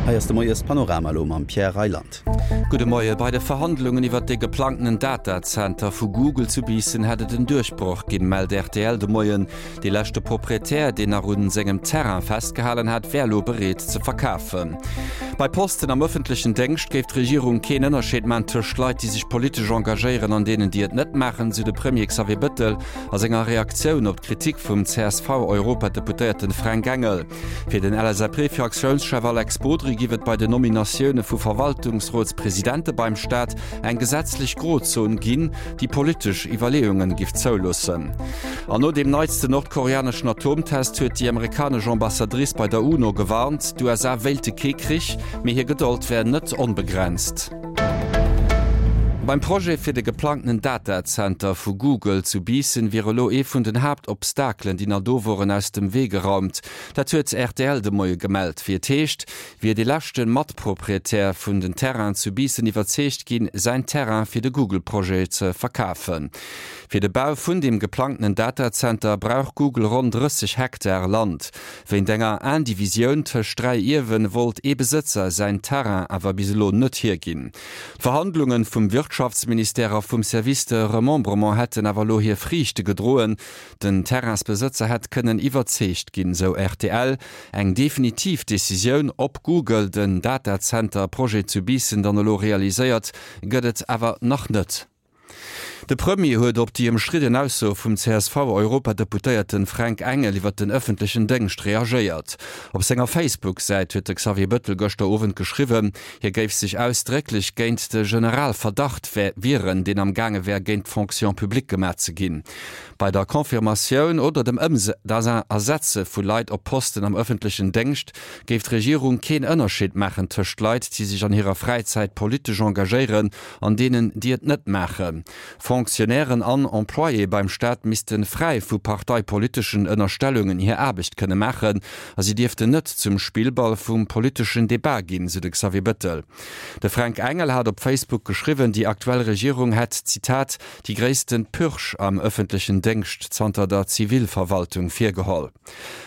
Hei ass de Moiespanorama elo mam Pierre Reyland. Gudde Moie, Bei de Verhandlungen iwwert de geplangtenen Datacenter vu Google zu Biissen hätt et en Duerchbroch ginn, mellt rtl de Moien. Dee leschte Proprietär, deen nach un sengem Terrain festgehalen hat, wär elo bereet ze verkafen. Bei Posten am ëffentlechen Déngscht géif d'Regierung keen Ënnerscheed man tëscht Leit, déi sech politesch engagéieren an deenen, déi et net maachen, sou de Premier Xavier Bëttel a senger Reaktioun op d'Kritik vum CSV-Europadeputéierten Fränk Engel. Fir den LSAP-Fraktiounschef Alex Bodry giff et bei den Nominatioune vu Verwaltungsrotspresidente beim Staat eng gesetzlech Grozon ginn, déi politesch Iwwerleeungen giff zouloossen. An no deem neitsten nordkoreaneschen Atomtest huet déi amerikanesch Ambassadrice bei der UNO gewarnt, d'USA wéilte kee Krich, mee hir Gedold wär net onbegrenzt. Beim Projet fir de geplangtenen Datacenter vu Google zu Biissen wier elo ee vun den Haaptobstakelen, déi nach do woren, aus dem Wee geraumt. Dat huet rtl de Moie gemellt. Wéi et heescht, wier dee leschte Matproprietär vun den Terrainen zu Biissen iwwerzeegt ginn, säin Terrain fir de Google-Projet ze verkafen. Fir de Bau vun deem geplangtenen Datacenter brauch Google ronn 30 Hektar Land. Wéint enger Indivisioun tëscht 3 Ierwen wollt ee Besëtzer säin Terrain awer bis elo net hierginn. D'Verhandlungen vum Wirtschaftsministère a vum Service de Remembrement hätten awer elo hir Friichte gedroen. Den Terrainsbesëtzer hätt kënnen iwwerzeegt ginn, sou rtl. Eng definitiv Decisioun, ob Google den Datacenter-Projet zu Biissen dann elo realiséiert, gëtt et awer nach net. De Premier huet op déi ëmstridden Ausso vum CSV-Europadeputéierten Fränk Engel iwwer den ëffentlechen Déngscht reagéiert. Op senger Facebook-Säit huet de Xavier Bëttel gëschter Owend geschriwwen, hie géif sech ausdrécklech géint de Generalverdacht wieren, deen am gaange wär géint d'Fonction publique gemaach ze ginn. Bei der Confirmatioun oder dem Ersetze vu Leit op Posten am ëffentlechen Déngscht géif d'Regierung keen Ënnerscheed maachen tëscht Leit, déi sech an hirer Fräizäit politesch engagéieren an deenen, déi et net maachen. Fonctionnairen an Employéë beim Staat misste fräi vu parteipoliteschen Ënnerstellungen hir Aarbecht kënne maachen a si dierften net zum Spillball vum politeschen Debat ginn, sou de Xavier Bëttel. De Fränk Engel hat op Facebook geschriwwen, déi aktuell Regierung hätt, Zitat, déi gréissten Purge am ëffentlechen Déngscht zanter der Zivilverwaltung virgeholl.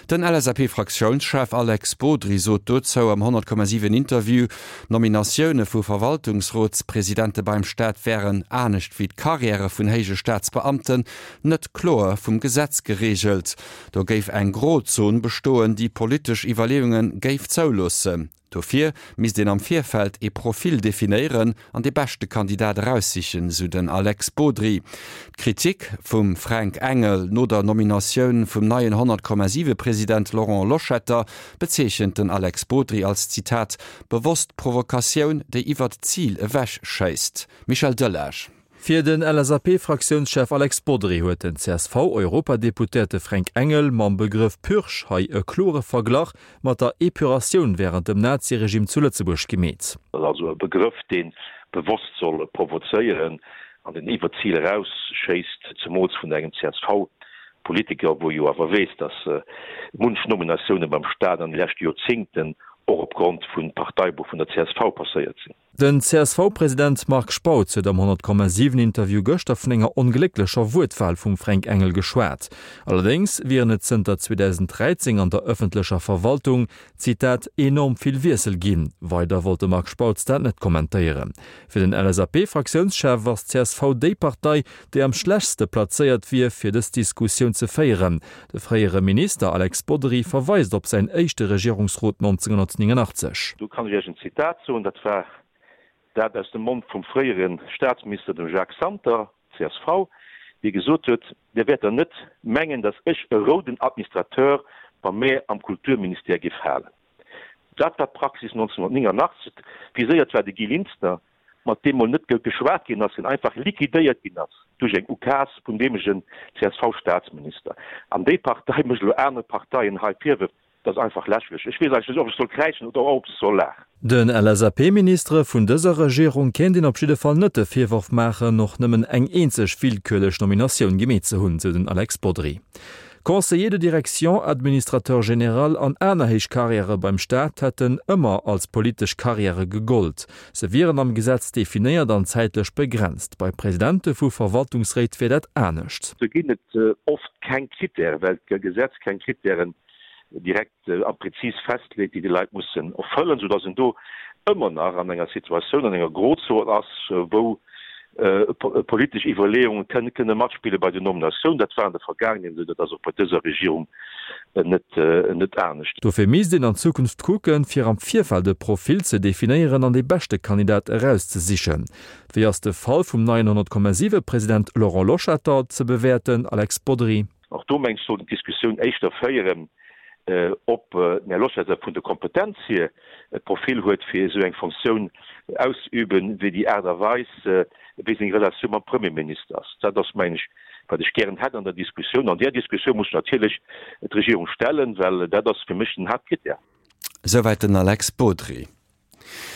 Den LSAP-Fraktiounschef Alex Bodry sot dozou am 100,7 Interview, d'Nominatioune vu Verwaltungsrotspresidente beim Staat wären, anescht wéi d'Karriäre vun héije Staatsbeamten, net kloer vum Gesetz gereegelt. Do géif eng Grozon bestoen, déi politesch Iwwerleeunge géif zouloossen. Dofir misst een am Virfeld ee Profil definéieren an dee beschte Kandidat eraussichen, sou den Alex Bodry. D'Kritik vum Fränk Engel no der Nominatioun vum neien 100,7 President Laurent Loschetter bezeechent den Alex Bodry als, Zitat, bewosst Provokatioun, déi iwwert d'Zil ewech schéisst. Michel Delage. Fir den LSAP-Fraktiounschef Alex Bodry huet den CSV-Europadeputéierte Fränk Engel mam Begrëff Purge hei e klore Verglach mat der Epuratioun wärend dem Naziregime zu Lëtzebuerg gemeet. Dat ass also e Begrëff, dee bewosst soll provozéieren an deen iwwer d'Zil erausschéisst, zemools vun engem CSV-Politiker, wou jo awer weess, datt munch Nominatioune beim Staat an de leschte Joerzéngten och opgrond vum Parteibuch vun der csv passéiert sinn. Den CSV-President Marc Spautz huet am 100,7 Interview gëschter vun enger onglécklecher Wuertwal vum Fränk Engel geschwat. Allerdéngs wieren et zënter 2013 an der ëffentlecher Verwaltung, Zitat, enorm vill Wiessel ginn. Weider wollt de Marc Spautz dat net kommentéieren. Fir den LSAP-Fraktiounschef ass d'CSV déi Partei, déi am schlechtste plazéiert wier, fir dës Diskussioun ze féieren. De fréiere Minister Alex Bodry verweist op säin éischte Regierungsrot 1989. Do kann ech Iech en Zitat soen, dat war dat aus dem Mond vum fréiere Staatsminister, dem Jacques Santer, csv, dee gesot huet, Dir wäert der net mengen, datt ech e rouden Administrateur bei mär am Kulturministère giff halen. Dat war d'Praxis 1989. Viséiert war de Guy Linster, mat deem mol net geschwat ginn ass, deen einfach liquidéiert ginn ass duerch eng Ukaz vun deemegen CSV-Staatsminister. An déi Partei mécht elo anere Parteien hei Virwërf. Dat ass einfach lächerlech. Ech weess eigentlech net, ob ech soll kräischen oder ob ech soll laachen. Den LSAP-Ministere vun dëser Regierung kéint een op jidde Fall net de Virworf maachen, och nëmmen eng eenzeg willkürlech Nominatioun gemeet ze hunn, sou den Alex Bodry. Conseiller de direction, Administrateur général an aner héich Carrièrë beim Staat hätten ëmmer als politesch Carrièrë gegollt. Se wieren am Gesetz definéiert an zäitlech begrenzt. Bei Presidente vu Verwaltungsréit wier dat anescht. Do ginn et oft keng Krittären, well d'Gesetz keng Krittären. direkt a prezis festleet, déi déi Leit mussen erfëllen, soudass een do ëmmer nach an enger Situatioun, an enger Grozon ass, wou politesch Iwwerleeunge kënne matspille bei den Nominatiounen. Dat war an der Vergaangenheet esou, dat ass och bei dëser Regierung net anescht. Dofir misst een an Zukunft kucken, fir am Virfeld e Profil ze definéieren an dee beschte Kandidat erauszesichen. Wéi ass de Fall vum neien 100,7 President Laurent Loschetter ze bewäerten, Alex Bodry? Och do mengt ech sollt een d'Diskussioun éischter féieren, ob den Här Loschetter vun der Kompetenz hier e Profil huet fir esou eng Fonctioun auszeüben, wéi déi Aart a Weis wéi seng Relatioun mam Premierminister ass. Dat ass mengen ech wat ech gären hätt an der Diskussioun. An där Diskussioun muss natierlech d'Regierung stellen, well dat ass fir mech den Haaptkrittär. Souwäit den Alex Bodry.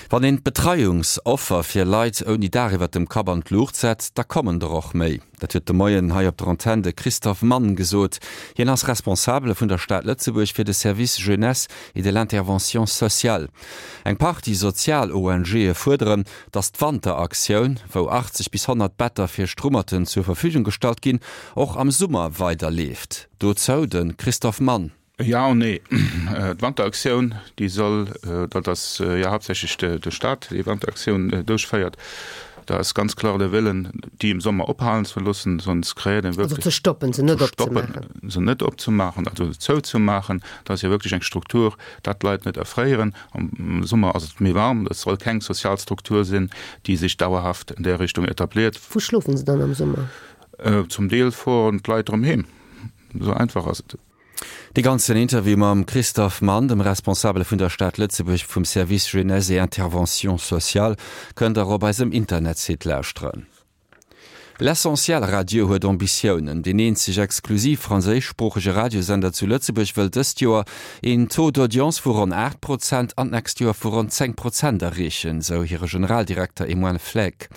Wann een d'Betreiungsoffer fir Leit ouni Daach iwwert dem Kapp an d'Luucht setzt, da kommen der och méi. Dat huet de Moien hei op der Antenn de Christophe Mann gesot. Hien ass Responsabele vun der Stad Lëtzebuerg fir de Service Jeunesse et de l'intervention sociale. Eng Partie sozial ONGe fuerderen, datt d'Wanteraktioun, wou 80 bis 100 Better fir Strummerten zur Verfügung gestallt ginn, och am Summer weider leeft. Dozou de Christophe Mann. Jo an nee. D'Wanteraktioun, déi soll, dat ass jo haaptsächlech de Staat, dee Wanteraktioun duerchféiert, da ass ganz kloer de Wëllen, déi im Sommer ophalen ze loossen, sonst kreéiert een wierklech. Also ze stoppen, se net opzemaachen. Ze stoppen, se net opzemaachen, also se zouzemaachen. Dat ass jo wierklech eng Struktur, dat d'Leit net erfréieren. Am Summer ass et méi waarm. Dat soll keng sozial Struktur sinn, déi sech dauerhaft an där Richtung etabliert. Wou schlofen se dann am Summer? Zum Deel fueren d'Leit erëm heem. Esou einfach ass et. Dee ganzen Interview mam Christophe Mann, dem Responsabele vun der Stad Lëtzebuerg vum Service Jeunesse et Intervention sociale, kënnt der op eisem Internetsite lauschteren. L'Essentiel Radio huet Ambitiounen. Deen eenzeg exklusiv franséischsproochege Radiosender zu Lëtzebuerg wëll dëst Joer een Taux d'audience vu ronn 8 Prozent an d'nächst Joer vu ronn 10 Prozent erreechen, sou hire Generaldirekter Emmanuel Fleck.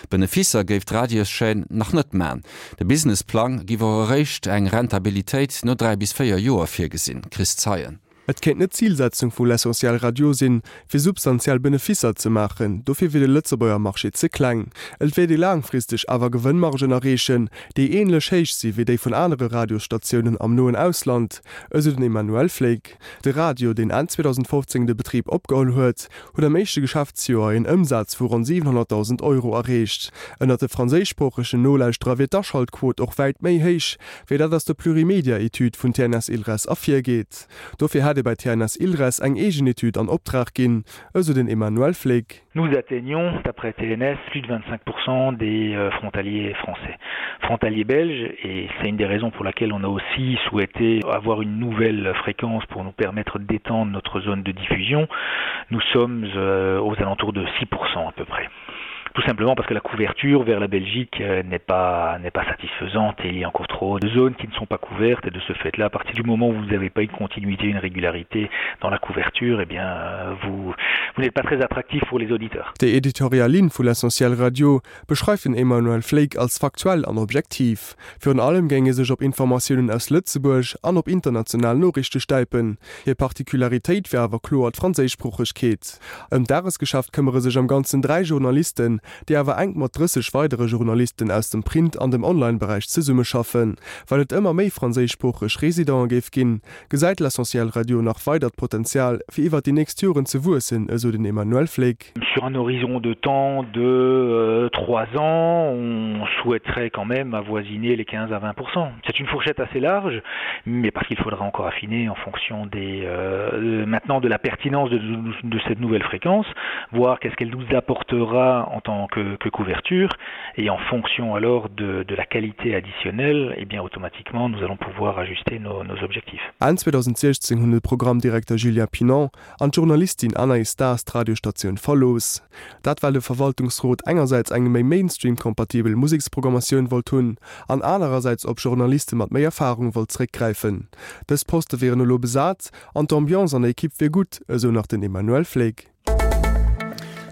Benefisser géif d'Radioschaîne nach net man. De Businessplang giff och eréischt eng Rentabilitéit no 3 bis 4 Joer virgesinn. Chris Zeien. Et kéint net d'Zilsetzung vu L'Essentiel Radio sinn, fir substantiell Benefisser ze maachen, dofir wier de Lëtzebuerger Marché ze kleng. Et wéilt ee laangfristeg awer Gewënnmargen erreechen, déi änlech héich si wéi déi vun anere Radiosstatiounen am noen Ausland, esou den Emmanuel Fleig. De Radio, deen Enn 2015 de Betrib opgeholl huet, huet am éischte Geschäftsjoer een Ëmsaz vu ronn 700.000 Euro erreecht. Ënnert de franséischsproochegen Nolauschterer wier d'Aschaltquot och wäit méi héich, wéi dat aus der Plurimedia-Etüd vun TNS Ilres ervirgeet. Dofir hätt ee bei TNS Ilres eng eegen Etüd an Optrag ginn, esou den Emmanuel Fleck. Nous atteignons, d'après TNS, plus de 25% des euh, frontaliers français. Frontaliers belges, et c'est une des raisons pour laquelle on a aussi souhaité avoir une nouvelle fréquence pour nous permettre d'étendre notre zone de diffusion, nous sommes euh, aux alentours de 6% à peu près tout simplement parce que la couverture vers la Belgique euh, n'est pas n'est pas satisfaisante et il y a encore trop de zones qui ne sont pas couvertes et de ce fait là à partir du moment où vous n'avez pas une continuité une régularité dans la couverture et eh bien euh, vous vous n'êtes pas très attractif pour les auditeurs. Déi editorial Linn vu L'Essentiel Radio beschreift den Emmanuel Fleig als faktuell an objektiv. Virun allem géing e sech op Informatiounen aus Lëtzebuerg an op international Noriichte stäipen. Hir Particularitéit wier awer kloer d'Franséischsproochegkeet. Ëm d'Dagesgeschäft këmmere sech am Ganzen 3 Journalisten, déi awer enk mat 30 weidere Journalisten aus dem Print an dem Online-Beräich zesummeschaffen. Well et ëmmer méi franséischsproocheg Residente géif ginn, gesäit L'Essentiel Radio nach weidert Potenzial, fir iwwer déi nächst Joren ze wuessen, esou den Emmanuel Fleck. Sur un horizon de temps de euh, trois ans, on souhaiterait quand même avoisiner les 15 à 20%. C'est une fourchette assez large, mais parce qu'il faudra encore affiner en fonction des, euh, maintenant de la pertinence de, de cette nouvelle fréquence, voir qu'est-ce qu'elle nous apportera en tant que, que couverture et en fonction alors de, de la qualité additionnelle, et eh bien automatiquement nous allons pouvoir ajuster nos, nos objectifs. Enn 2016 hunn de Programmdirekter Julien Pinon an d'Journalistin Anaïs Daas d'Radiosstatioun verlooss. Dat well de Verwaltungsrot engersäits eng méi Mainstream-kompatibel Museksprogrammatioun wollt hunn an anerersäits op Journaliste mat méi Erfarung wollt zeréckgräifen. Dës Poste wieren elo besat an d'Ambiance an der Ekipp wier gutt, esou nach den Emmanuel Fleck.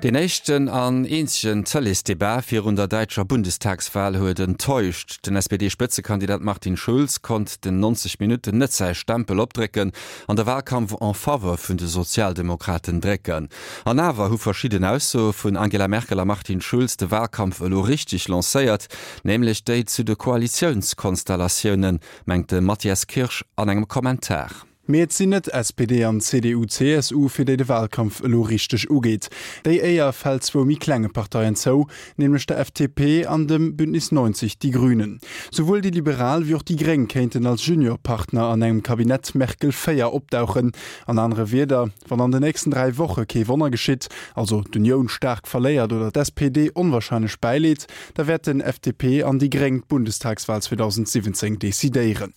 Deen éischten an eenzegen Tëleesdebat virun der däitscher Bundestagswal huet enttäuscht. Den SPD-Spëtzekandidat Martin Schulz konnt den 90 Minutten net säi Stempel opdrécken an de Walkampf en faveur vun de Sozialdemokraten drécken. An awer hu verschidden Aussoe vun Angela Merkel a Martin Schulz de Walkampf elo richteg lancéiert, nämlech déi zu de Koalitiounskonstellatiounen, mengt de Matthias Kirsch an engem Kommentar. Mee et sinn net SPD an CDU-CSU, fir déi de Wahlkampf elo richteg ugeet. Déi Éier fält zwou méi klenge Parteien zou, nämlech der FDP an dem Bündnis 90, Die Grünen. Souwuel déi Liberal wéi och déi Gréng kéinten als Juniorpartner an engem Kabinett Merkel 4 opdauchen. An anere Wierder, Wann an den nächsten 3 Woche kee Wonner geschitt, also d'Unioun staark verléiert oder d'SPD onwahrscheinlech bäileet, da wäerten FDP an déi Gréng d'Bundestagswahl 2017 decidéieren.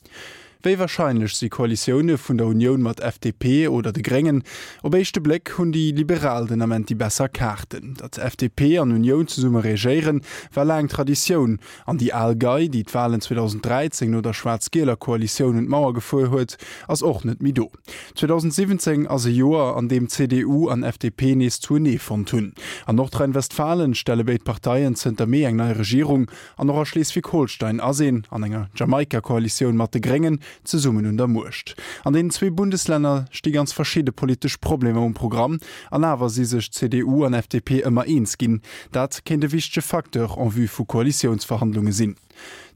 Wéi warscheinlech si Koalitioune vun der Unioun mat FDP oder de Gréngen? Op éischte Bléck hunn déi Liberal den Ament déi besser Kaarten. Datt FDP an Unioun zesumme regéieren, war laang Traditioun. An déi al Gei, déi d'Walen 2013 no der schwaarz-gieler Koalitioun un d'Mauer gefuer huet, ass och net méi do. 2017 ass e Joer, an deem CDU an FDP nees zuenee fonnt hunn. An Nordrhein-Westfalen stelle béid Parteien zënter Mee eng nei Regierung. An och a Schleswig-Holstein ass een, an enger Jamaika-Koalitioun mat de Gréngen, zesummen un der Muecht. An deenen zwee Bundeslänner sti ganz verschidde politesch Problemer um Programm, an awer si sech CDU an FDP ëmmer eens ginn. Dat kéint e wichtege Facteur en vue vu Koalitiounsverhandlunge sinn.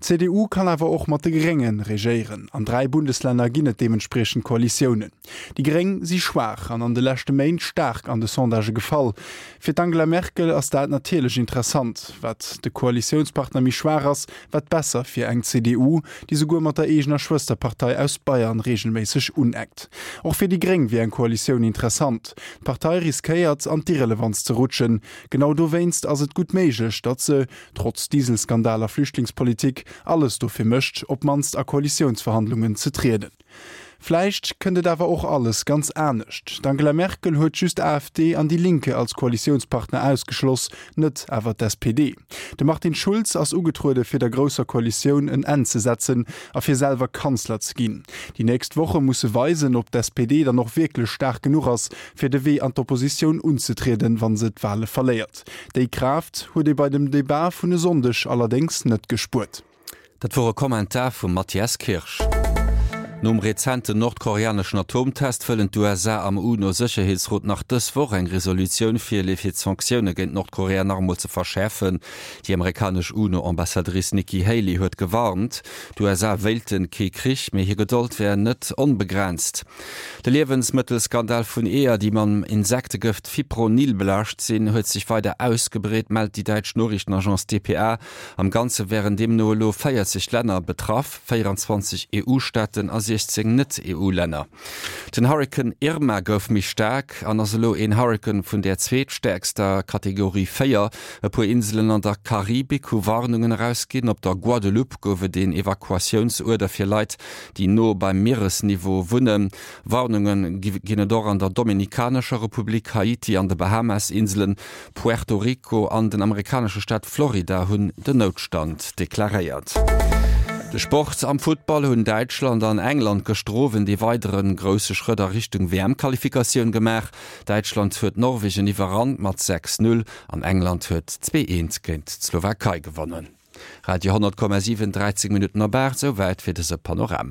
D'CDU kann awer och mat de Grénge regéieren. An 3 Bundeslänner ginn et deementspriechend Koalitiounen. Déi Gréng si schwaach an an de leschte Méint staark an de Sondagë gefall. Fir d'Angela Merkel ass dat natierlech interessant. Wat de Koalitiounspartner méi schwaach ass, wat besser fir eng CDU, déi souguer mat der eegener Schwësterpartei aus Bayern reegelméisseg uneckt. Och fir déi Gréng wier eng Koalitioun interessant. D'Partei riskéiert, an d'Irrelevanz ze rutschen. Genau dowéinst ass et gutt méiglech, datt se, trotz Dieselskandal a Flüchtlingspolitik, alles dofir mécht, op d'mannst a Koalitiounsverhandlungen ze trieden. Vläicht kënnt et awer och alles ganz anescht. D'Angela Merkel huet just AfD an Die Linke als Koalitiounspartner ausgeschloss, net awer d'SPD. De Martin Schulz ass ugetruede fir der grousser Koalitioun en Enn ze setzen a fir selwer Kanzler ze ginn. Déi nächst Woche musse weisen, ob d'SPD dann och wierklech staark genuch ass, fir de Wee an d'Oppositioun unzetrieden, wa se d'Wale verléiert. Déi Kraaft huet ee bei dem Debat vun e Sonndeg allerdéngs net gespuert. Dat wor e Kommentar vum Mathias Kirsch. Nom rezenten nordkoreaneschen Atomtest wëllen d'USA am UNO-Sécherheetsrot nach dës Woch eng Resolutioun virleeë fir d'Sanktioune géint Nordkorea nach emol ze verschäerfen. Déi amerikanesch UNO-Ambassadrice Nikki Haley huet gewarnt, d'USA wéilten kee Krich, mee hir Gedold wär net onbegrenzt. De Liewensmëttelskandal vun Eeër, déi mam Insektegëft Fipronil belaascht sinn, huet sech weider ausgebreet, mellt déi däitsch Noriichtenagence dpa. Am Ganze wären deemno elo 40 Länner betraff, 24 EU-Staaten a 16 Net-EU-Länner. Den Hurrikan Irma gouf méi staark an ass elo een Hurrikan vun der zweetstäerkster Kategorie 4. E puer Inselen an der Karibik hu Warnungen erausginn. Op der Guadeloupe gouf et een Evakuatiounsuerder fir Leit, déi no beim Mieresniveau wunnen. Warnunge ginn et och an der Dominikanescher Republik, Haiti an de Bahamas-Inselen. Puerto Rico an den amerikanesche Staat Florida hunn den Noutstand deklaréiert. De Sport, Am Futtball hunn Däitschland an England gëschter Owend ee weidere grousse Schrëtt a Richtung WM-Qualifikatioun gemaach. Däitschland huet Norwegen iwwerrannt mat 6, 0 an England huet 2, 1 géint d'Slowakei gewonnen. Radio 10,7, 13 Minutten op 8, souwäit fir dëse Panorama.